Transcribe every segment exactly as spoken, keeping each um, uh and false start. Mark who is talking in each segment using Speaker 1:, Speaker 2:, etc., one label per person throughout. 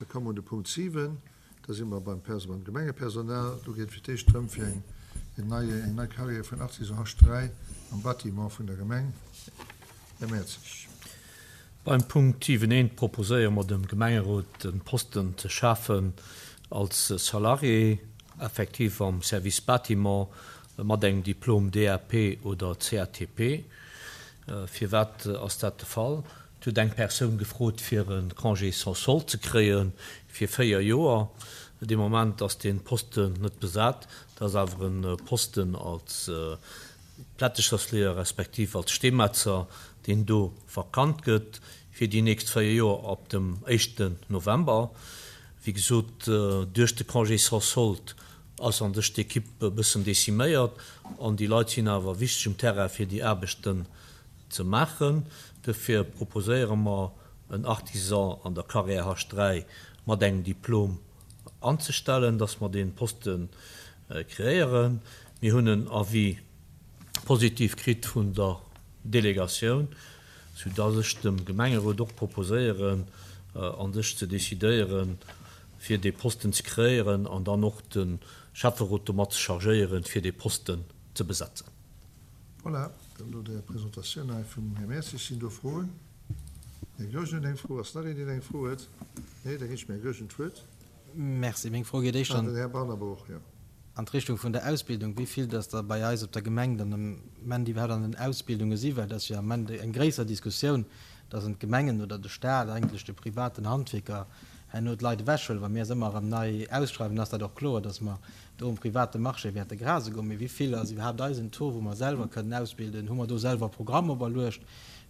Speaker 1: komme mer un de Punkt siwen. Da si mer beim Perso-, beim Gemengepersonal. Do geet et fir d'éischt drëm, fir eng, en neie, eng nei Carrière vun Artisan H dräi am Bâtiment vun der Gemeng. Här Mertzig.
Speaker 2: Beim Punkt siwen eent proposéiere mer dem Gemengerot, e Posten ze schafen als Salarié effektiv am Service Bâtiment mat engem Diplom D A P oder C A T P. Firwat ass dat de Fall? Et huet eng Persoun gefrot, fir e Congé sans solde ze kréie fir véier Joer. Dee Moment ass dee Posten net besat. Dat ass awer e Posten als Plättechersleeër respektiv als Steemetzer, deen do vakant gëtt fir déi nächst véier Joer ab dem éischten November. Wéi gesot, duerch de Congé sans solde ass an sech d'Ekipp e bëssen deciméiert an déi Leit sinn awer wichteg um Terrain, fir déi Aarbechten ze maachen. Dofir proposéiere mer, en Artisan an der Carrière H dräi mat engem Diplom anzestellen, dass mer dee Poste kreéieren. Mir hunn en Avis positiv kritt vun der Delegatioun, soudass ech dem Gemengerot och proposéieren, an sech ze decidéieren, fir dee Posten ze kreéieren an dann och de Schäfferot domat ze chargéieren, fir dee Posten ze besetzen.
Speaker 1: Voilà, dann no der Presentatioun hei vum Här Mertzig sinn do Froen. Här Goergen huet eng Fro. Ass nach een, deen eng Fro huet? Nee, da ginn ech dem Här Goergen d'Wuert.
Speaker 3: Merci. Meng Fro geet éischter
Speaker 1: an den Här Barnabo och, jo.
Speaker 3: an d'Richtung vun der Ausbildung. Wéi vill dass der bei eis op der Gemeng dann am Ament iwwerhaapt an den Ausbildunge si, well dat ass jo am Ament eng gréisser Diskussioun, dass en d'Gemengen oder de Staat eigentlech de privaten Handwierker herno d'Leit ewechhuelen. Wa mir es ëmmer erëm nei ausschreiwen, ass dat och kloer, dass mer do um private Marché wäerte grase goen. Mee wéi vill ass iwwerhaapt eisen Taux, wou mer selwer kënnen ausbilden? Hu mer do selwer Programm operluecht,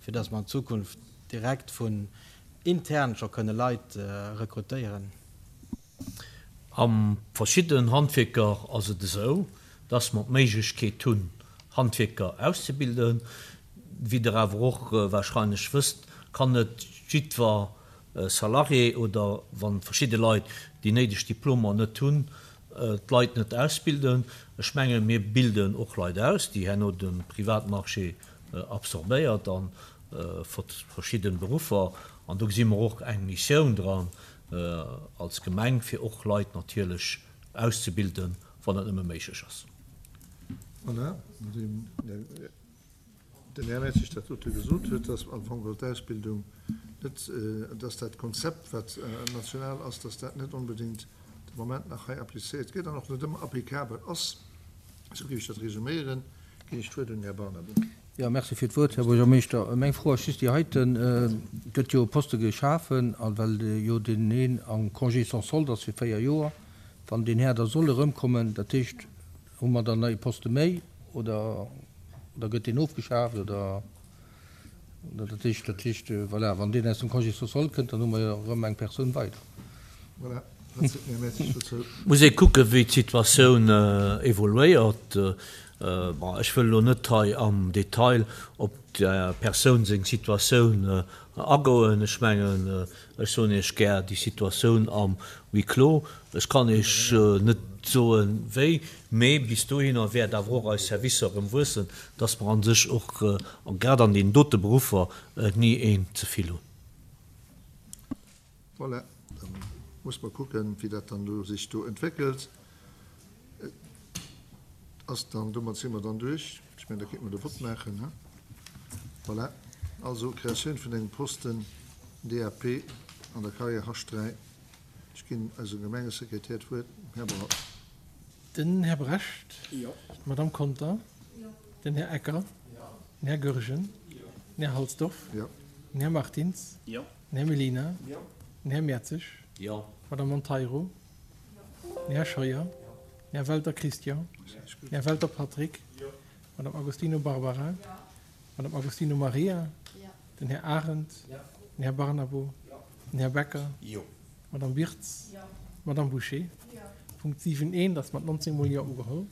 Speaker 3: fir dass mer an Zukunft direkt vun intern scho kënne Leit rekrutéieren?
Speaker 2: Am verschiddenen Handwierker ass et esou, dass mer d'Méiglechkeet hunn, Handwierker auszebilden. Wéi Der awer och wahrscheinlech wësst, kann net jiddwer Salarié oder wa verschidde Leit déi néideg Diplomer net hunn, d'Leit net ausbilden. Ech mengen, mir bilden och Leit aus, déi herno de Privatmarché absorbéiert a verschidde Beruffer. An do gesi mer och eng Missioun dran als Gemeng, fir och Leit natierlech auszebilden, wann dat nëmme méiglech ass.
Speaker 1: Voilà, nodeem den Här Mertzig dat dote gesot huet, dass am Fong geholl d'Ausbildung net, dass dat Konzept, wat national ass, dass dat net onbedéngt de Moment nach hei applizéiert gëtt an och net ëmmer applicabel ass, esou géif ech dat resuméieren, ginn ech d'Wuert un den Här Barnabo.
Speaker 4: Jo, merci fir d'Wuert, Här Buergermeeschter. Meng Fro ass just déi heiten. Et gëtt jo e Poste geschafen, a well jo deen een am Congé sans solde ass fir véier Joer, wann deen Här da soll erëmkommen, dat heescht, hu mer dann e Poste méi oder, oder gëtt deen ofgeschaaft oder, oder dat heescht, dat heescht, voilà, wann deen aus dem Congé sans solde kënnt, dann hu mer jo erëm eng Persoun weider.
Speaker 1: Voilà, dat seet den Här Mertzig dozou.
Speaker 2: Muss ee kucken, wéi d'Situatioun evoluéiert. Bon, ech wëll elo net hei am Detail op der Persoun seng Situatioun agoen. Ech mengen, ech soen Iech gär déi Situatioun am Huis clos. Ech kann Iech net soen, wéi, mee bis dohinner wäert awer och eis Servicer erëm wuessen, dass mer a sech och, grad an deenen dote Beruffer, ni een ze vill hunn.
Speaker 1: Voilà, da muss mer kucken, wéi dat dann do sech do entwéckelt. Ass dann, domat si mer dann duerch. Ech mengen, da kéinte mer de Vott maachen, he? Voilà. Also, Kreatioun vun engem Posten D A P an der Carrière H dräi. Ech ginn eisem Gemengesekretär d'Wuert, dem Här Brecht.
Speaker 5: Den Här Brecht.
Speaker 6: Jo.
Speaker 5: D'Madame Conter.
Speaker 6: Jo.
Speaker 5: Den Här Ecker.
Speaker 6: Jo.
Speaker 5: Den Här Goergen.
Speaker 6: Jo.
Speaker 5: Den Här Halsdorf.
Speaker 1: Jo.
Speaker 5: Den Här Martins.
Speaker 6: Jo.
Speaker 5: Den Här Mellina.
Speaker 6: Jo.
Speaker 5: Den Här Mertzig.
Speaker 2: Jo.
Speaker 5: D'Madame Monteiro.
Speaker 6: Jo.
Speaker 5: Den Här Scheuer. Den Här Welter Christian. Den Här Welter Patrick.
Speaker 6: Jo.
Speaker 5: Madame Agostino Barbara.
Speaker 6: Jo.
Speaker 5: Madame Agostino Maria.
Speaker 6: Jo.
Speaker 5: Den Här Arendt.
Speaker 6: Jo.
Speaker 5: Den Här Barnabo.
Speaker 6: Jo.
Speaker 5: Den Här Becker.
Speaker 6: Jo.
Speaker 5: Madame Wirtz.
Speaker 6: Jo.
Speaker 5: Madame Boucher.
Speaker 6: Jo.
Speaker 5: Punkt siwen eent ass mat nonzéng mol Jo ugeholl.